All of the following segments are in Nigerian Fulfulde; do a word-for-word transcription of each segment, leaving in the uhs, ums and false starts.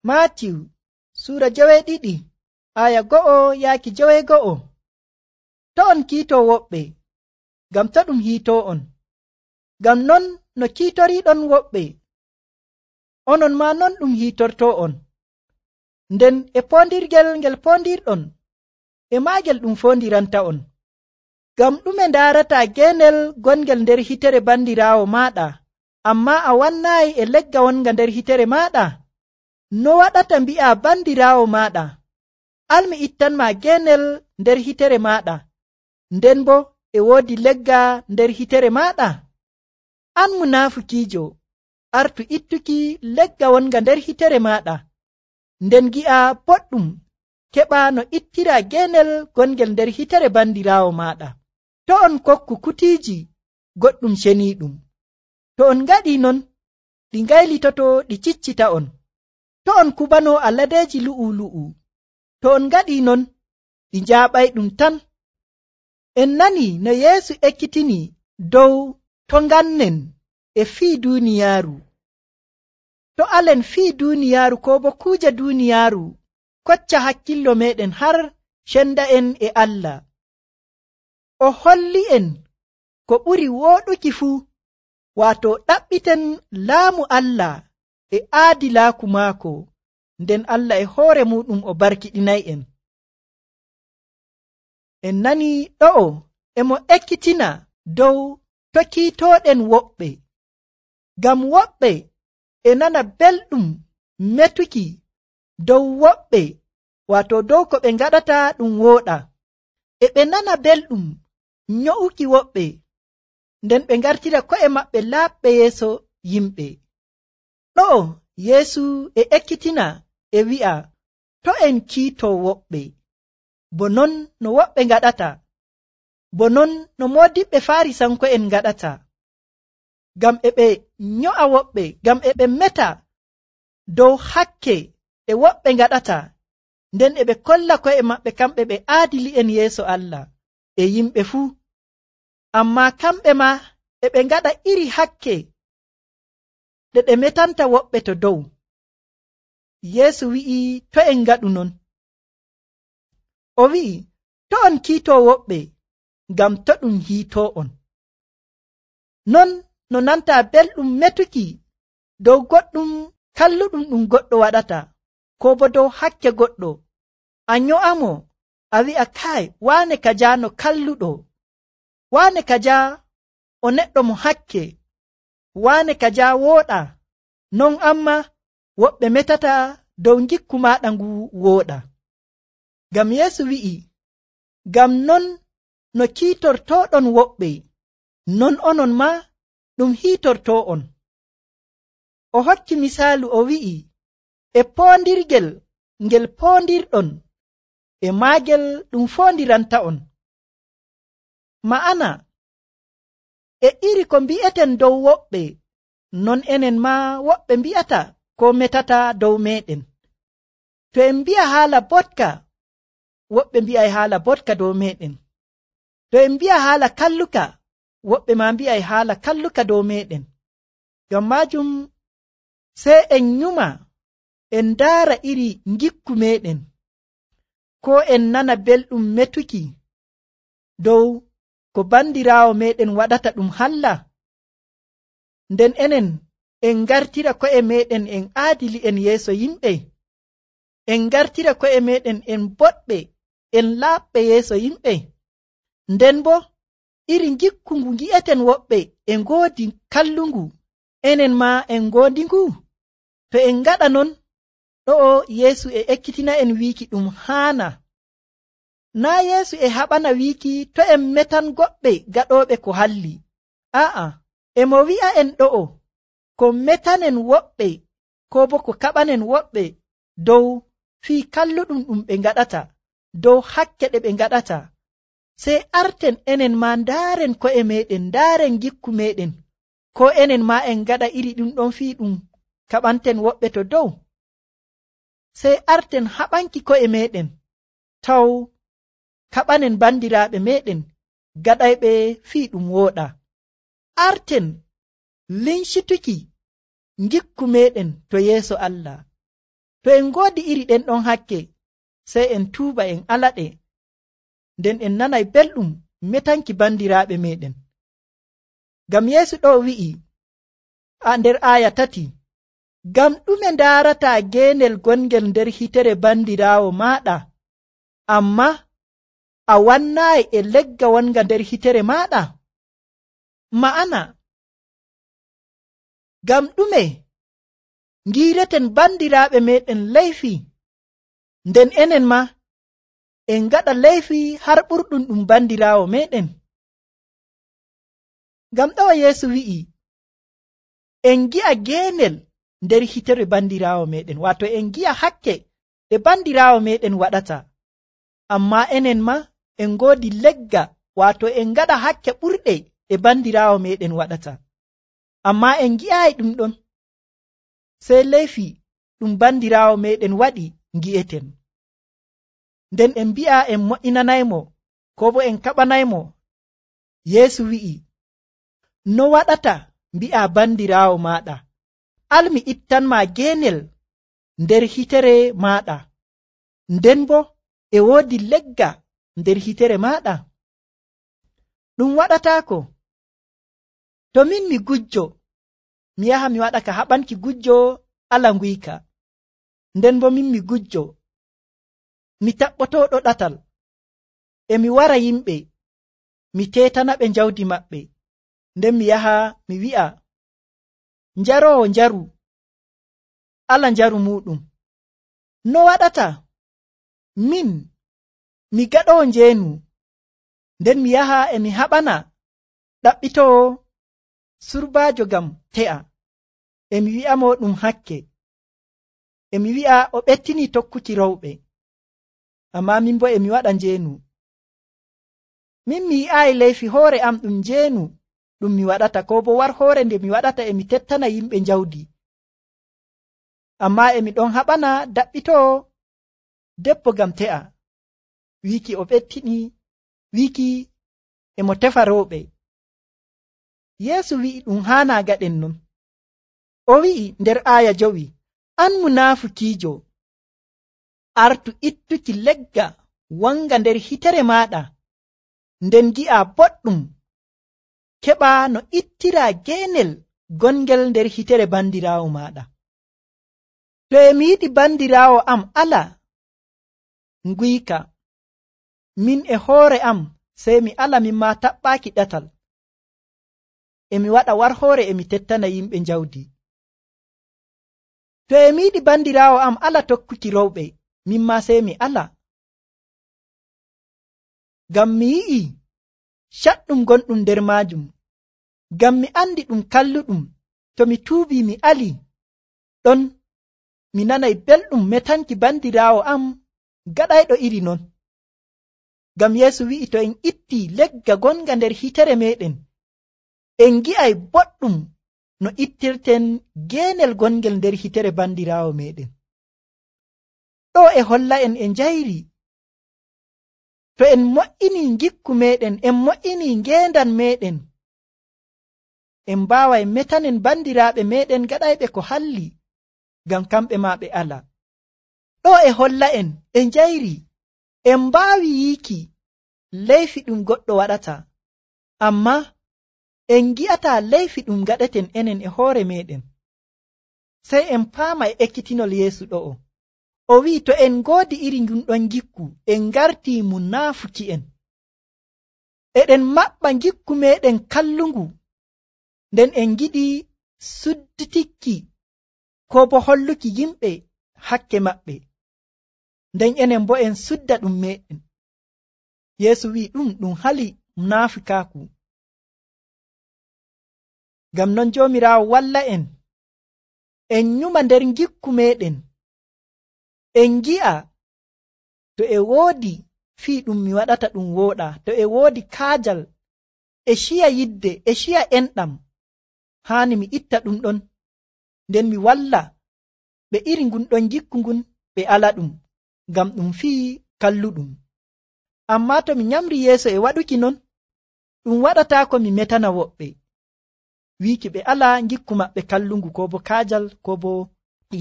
Maatiw suura joweeɗiɗi aya go'o yaaki joweego'o. To on kiitoo woɓɓe, ngam to ɗum hiitoo on, ngam non no kiitoriiɗon woɓɓe, onon maa non ɗum hiitortoo on. Nden e poondirgel ngel poondirɗon, e maagel ɗum foondiranta on. Ngam ɗume ndaarataa geenel gongel nder hitere bandiraawo maaɗa, ammaa a wannaayi e legga wonga nder hitere maaɗa? No waɗata mbi'a bandiraawo maaɗa, almi ittanmaa geenel nder hitere maaɗa, nden bo e woodi legga nder hitere maaɗa? An munaafukiijo, artu ittuki legga wonga nder hitere maaɗa, nden gi'a boɗɗum keɓa no ittira geenel gongel nder hitere bandiraawo maaɗa. To on kokku kutiiji goɗɗum ceniiɗum, to on ngaɗii non, ɗi ngaylitoto ɗi ciccita on. To on kubanoo aladeeji lu'u-lu'u, to on ngaɗii non, ɗi njaaɓayɗum tan. En nanii no Yeesu ekkitini dow to ngannen e fii duuniyaaru. To alen fii duuniyaaru koo bo kuuje duuniyaaru kocca hakkillo meeɗen har cenda'en e Allah. O holli'en ko ɓuri wooɗuki fuu, waato ɗaɓɓiten laamu Allah e aadilaaku maako, nden Allah e hoore muuɗum o barkiɗinay'en. En nanii ɗo'o e mo ekkitina dow to kiitooɗen woɓɓe, ngam woɓɓe e nana belɗum metuki dow woɓɓe, waato dow ko ɓe ngaɗata ɗum wooɗa, e ɓe nana belɗum nyo'uki woɓɓe, nden ɓe ngartira ko'e maɓɓe laaɓɓe yeeso yimɓe. Ɗo'o Yeesu e ekkitina e wi'a to en kiitoo woɓɓe, bo non no woɓɓe ngaɗata, bo non no moodiɓɓe Faarisanko'en ngaɗata, ngam e ɓe nyo'a woɓɓe, ngam e ɓe meta dow hakke e woɓɓe ngaɗata, nden e ɓe kolla ko'e maɓɓe kamɓe ɓe aadili'en yeeso Allah e yimɓe fuu. Ammaa kamɓe ma e ɓe ngaɗa iri hakke ɗe ɗe metanta woɓɓe to dow. Yeesu wi'i to en ngaɗu non. O wi'i to on kiitoo woɓɓe, ngam to ɗum hiitoo on. Non no nantaa belɗum metuki dow goɗɗum kalluɗum ɗum goɗɗo waɗata, koo bo dow hakke goɗɗo, a nyo'amo, a wi'a kaay waane kajaa no kalluɗo, waane kajaa o neɗɗo mo hakke, waane kajaa wooɗa, non amma woɓɓe metata dow ngikku maaɗa ngu wooɗa. Ngam Yeesu wi'i, ngam non no kiitortooɗon woɓɓe, non onon maa ɗum hiitortoo on. O hokki misaalu o wi'i, e poondirgel ngel poondirɗon, e maagel ɗum foondiranta on. Ma'ana, e iri ko mbi'eten dow woɓɓe, non enen maa woɓɓe mbi'ata ko metata dow meeɗen. To en mbi'a haala botka, woɓɓe mbi'ay haala botka dow meeɗen. To en mbi'a haala kalluka, woɓɓe maa mbi'ay haala kalluka dow meeɗen. Ngam maajum sey en nyuma, en ndaara iri ngikku meeɗen, ko en nana belɗum metuki dow ko bandiraawo meeɗen waɗata ɗum halla. Nden enen en ngartira ko'e meeɗen en aadili'en yeeso yimɓe, en ngartira ko'e meeɗen en boɗɓe, en laaɓɓe yeeso yimɓe. Nden bo iri ngikku ngu ngi'eten woɓɓe e ngoodi kallungu, enen maa en ngoodi ngu. To en ngaɗa non, ɗo'o Yeesu e ekkitina en wiiki ɗum haana. Naa Yeesu e haɓana wiiki to en metan goɗɓe gaɗooɓe ko halli. Aa'a, e mo wi'a en ɗo'o ko metanen woɓɓe, koo bo ko kaɓanen woɓɓe dow fii kalluɗum ɗum ɓe ngaɗata, dow hakke ɗe ɓe ngaɗata. Sey arten enen maa ndaaren ko'e meeɗen, ndaaren gikku meeɗen, ko enen maa en ngaɗa iri ɗum ɗon fii ɗum kaɓanten woɓɓe to dow. Sey arten haɓanki ko'e meeɗen, taw kaɓanen bandiraaɓe meeɗen gaɗayɓe fii ɗum wooɗa. Arten lincituki ngikku meeɗen to yeeso Allah. To en ngoodi iri ɗen ɗon hakke, sey en tuuba en alaɗe, nden en nanay belɗum metanki bandiraaɓe meɗen. Ngam Yeesu ɗo wi'i a nder aaya tati, ngam ɗume ndaarataa geenel gongel nder hitere bandiraawo maaɗa, amma a wannaayi e legga wonga nder hitere maaɗa? Ma'ana, ngam ɗume ngiireten bandiraaɓe meɗen leyfi, nden enen ma en ngaɗa leyfi har ɓurɗum ɗum bandiraawo meɗen? Ngam ɗo Yeesu wi'i en gi'a geenel nder hitere bandiraawo meɗen, wato en gi'a hakke ɗe bandiraawo meɗen waɗata, amma enen ma en ngoodi legga, wato en ngaɗa hakke ɓurɗe ɗe bandiraawo meɗen waɗata, amma en gi'aayi ɗum ɗon. Sey leyfi ɗum bandiraawo meɗen waɗi ngi'eten, nden en mbi'a en mo'inanaymo, ko bo en kaɓanaymo. Yeesu wi'i, no waɗata mbi'a bandiraawo maaɗa, almi ittanma geenel nder hitere maaɗa, nden bo e woodi legga nder hitere maaɗa? Ɗum waɗataako. To min mi gujjo, mi yaha mi waɗa ka haɓanki gujjo ala nguyka, nden bo min mi gujjo, mi taɓɓotooɗo ɗatal, e mi wara yimɓe, mi tetana ɓe jawdi maɓɓe, nden mi yaha mi wi'a njaroowo njaru, ala njaru muɗum. No waɗata min mi gaɗoowo njeenu, nden mi yaha e mi haɓana ɗaɓɓitoo surbaajo ngam te'a, e mi wi'a mo ɗum hakke, e mi wi'a o ɓettini tokkuki rowɓe, amma min bo e mi waɗa njeenu. Min mi yi'aayi leyfi hoore am ɗum njeenu ɗum mi waɗata, ko bo war hoore nde mi waɗata e mi tettana yimɓe jawdi, amma e mi ɗon haɓana daɓɓitoo debbo ngam te'a, wiiki o ɓettini, wiiki e mo tefa rowɓe. Yeesu wi'i ɗum haana gaɗen non. O wi'i nder aaya jowi, an munaafukiijo, artu ittuki legga wanga nder hitere maaɗa, nden gi'a boɗɗum, keɓa no ittira geenel gongel nder hitere bandiraawo maaɗa. To e mi yiɗi bandiraawo am ala nguyka, min e hoore am sey mi ala min ma taɓɓaaki ɗatal, e mi waɗa war hoore e mi tettana yimɓe jawdi. To e mi yiɗi bandiraawo am ala tokkuki rowɓe, min ma sey mi ala, ngam mi yi'i caɗɗum gonɗum nder maajum, ngam mi andi ɗum kalluɗum. To mi tuubi mi ali, ɗon mi nanay belɗum metanki bandiraawo am gaɗayɗo iri non. Ngam Yeesu wi'i to en itti legga gonga nder hitere meɗen, en gi'ay boɗɗum no ittirten geenel gongel nder hitere bandiraawo meɗen. Ɗo e holla en e njayri, to en mo'ini gikku meɗen, en mo'ini ngendan meɗen, en mbaway metanen bandiraaɓe meɗen gaɗayɓe ko halli, ngam kamɓe ma ɓe ala. Ɗo e holla en e njayri, en mbaawi yiiki leyfi ɗum goɗɗo waɗata, amma en gi'ata leyfi ɗum gaɗeten enen e hoore meɗen. Sey en paama e ekkitinol Yeesu ɗo'o. O wi'i to en ngoodi iri ngun ɗon gikku, en ngarti munaafuki'en, eɗen maɓɓa gikku meɗen kallungu, nden en giɗi sudditikki ko bo holluki yimɓe hakke maɓɓe, nden enen bo en sudda ɗum meɗen. Yeesu wi'i ɗum ɗum hali munaafikaaku. Ngam non Joomiraawo walla en, en nyuma nder gikku meɗen, en gi'a to e woodi fii ɗum mi waɗata ɗum wooɗa, to e woodi kaajal e ciya yidde e ciya enɗam, haani mi itta ɗum ɗon, nden mi walla ɓe iri ngun ɗon gikku ngun ɓe ala ɗum, ngam ɗum fii kalluɗum. Amma to mi nyamri yeeso e waɗuki non, ɗum waɗataako mi metana woɓɓe, wiiki ɓe ala gikku maɓɓe kallungu, ko bo kaajal, ko bo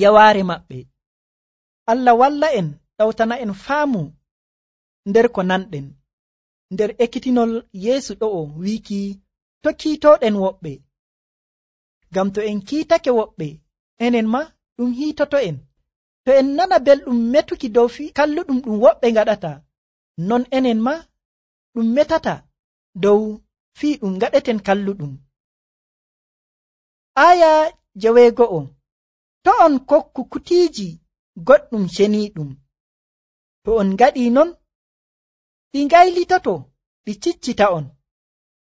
yawaare maɓɓe. Allah walla en ɗawtana en faamu nder ko nanɗen nder ekkitinol Yeesu ɗo'o wiiki to kiitoɗen woɓɓe, ngam to en kiitake woɓɓe enen ma ɗum hiitoto en. To en nana belɗum metuki dow fi kalluɗum ɗum woɓɓe ngaɗata, non enen ma ɗum metata dow fii ɗum ngaɗeten kalluɗum. Aya jeweego'o, to on kokku kutiiji goɗɗum ceniiɗum, to on ngaɗii non ɗi ngaylitoto ɗi ciccita on.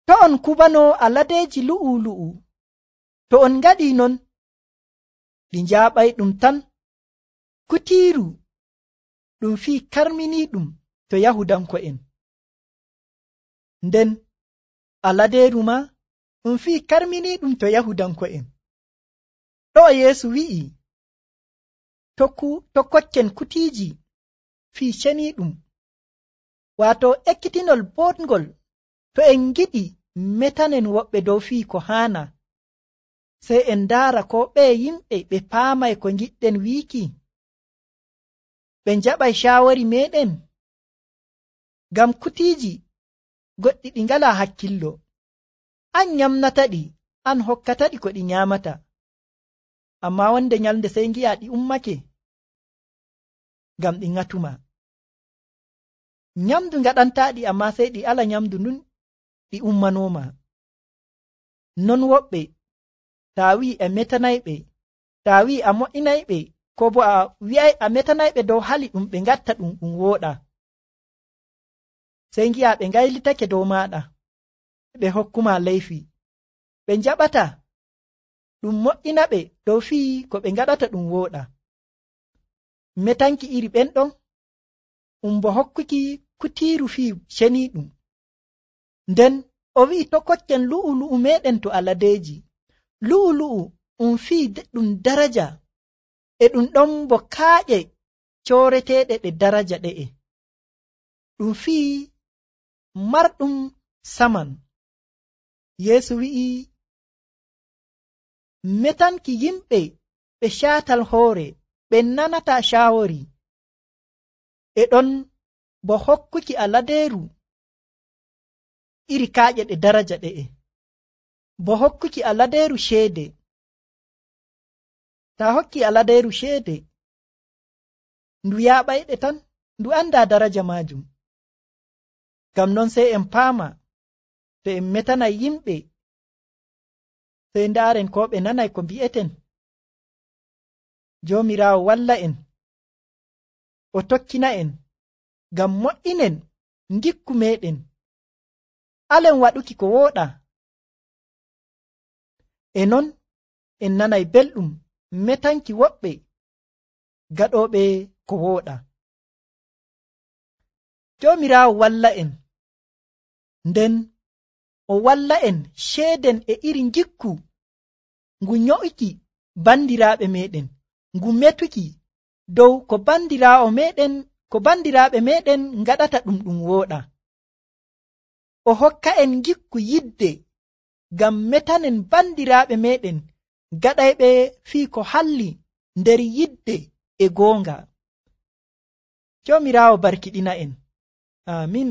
To on kubano aladeeji lu'u lu'u, to on ngaɗii non ɗi njaaɓayɗum tan. Kutiiru ɗum fii karminiiɗum to Yahudanko'en, nden aladeeru ma ɗum fii karminiiɗum to Yahudanko'en. Ɗo Yeesu wi'i to kokken kutiiji fii ceniiɗum, waato ekkitinol boɗngol. To en giɗi metanen woɓɓe dow fii ko haana, sey en ndaara ko ɓe yimɓe ɓe paamay ko ngiɗɗen wiiki, ɓe njaɓay shaawari meɗen. Ngam kutiiji goɗɗi ɗi ngalaa hakkillo, an nyamnataɗi, an hokkataɗi ko ɗi nyaamata, ammaa wonde nyalnde sey ngi'a ɗi ummake ngam ɗi ŋatuma. Nyamdu ngaɗantaaɗi, ammaa sey ɗi ala nyamdu ndun ɗi ummanooma. Non woɓɓe, taa wi'i a metanayɓe, taa wi'i a mo'inayɓe, ko bo a wi'ay a metanayɓe dow hali ɗum ɓe ngatta ɗum ɗum wooɗa, sey ngi'a ɓe ngaylitake dow maaɗa, ɓe hokkuma leyfi. Ɓe njaɓata ɗum mo'ina ɓe dow fii ko ɓe ngaɗata ɗum wooɗa. Metanki iri ɓen ɗon um bo hokkuki kutiiru fii ceniiɗum. Nden o wi'i to kokken lu'u lu'u meɗen to aladeeji. Lu'u lu'u um fii ɗum daraja, e ɗum ɗon bo kaaƴe cooreteeɗe ɗe daraja ɗe'e, ɗum fii marɗum saman. Yeesu wi'i metanki yimɓe ɓe caatal hoore, ɓe nanata shaawari, e ɗon bo hokkuki aladeeru iri kaaƴe ɗe daraja ɗe'e, bo hokkuki aladeeru ceede. Ta hokki aladeeru ceede, ndu yaaɓayɗe tan, ndu anda daraja maajum. Ngam non sey en paama, to en metanay yimɓe, sey ndaaren ko ɓe nanay ko mbi'eten. Joomiraawo walla en, o tokkina en, ngam mo'inen ngikku meɗen, alen waɗuki ko wooɗa. E non en nanay belɗum metanki woɓɓe gaɗooɓe ko wooɗa. Joomiraawo walla en, nden o walla en ceeden e iri ngikku ngu nyo'uki bandiraaɓe meɗen, ngu metuki dow ko bandiraawo meɗen, ko bandiraaɓe meɗen ngaɗata ɗum ɗum wooɗa. O hokka en ngikku yidde ngam metanen bandiraaɓe meɗen gaɗayɓe fii ko halli nder yidde e goonga. Joomiraawo barkiɗina en. Amin.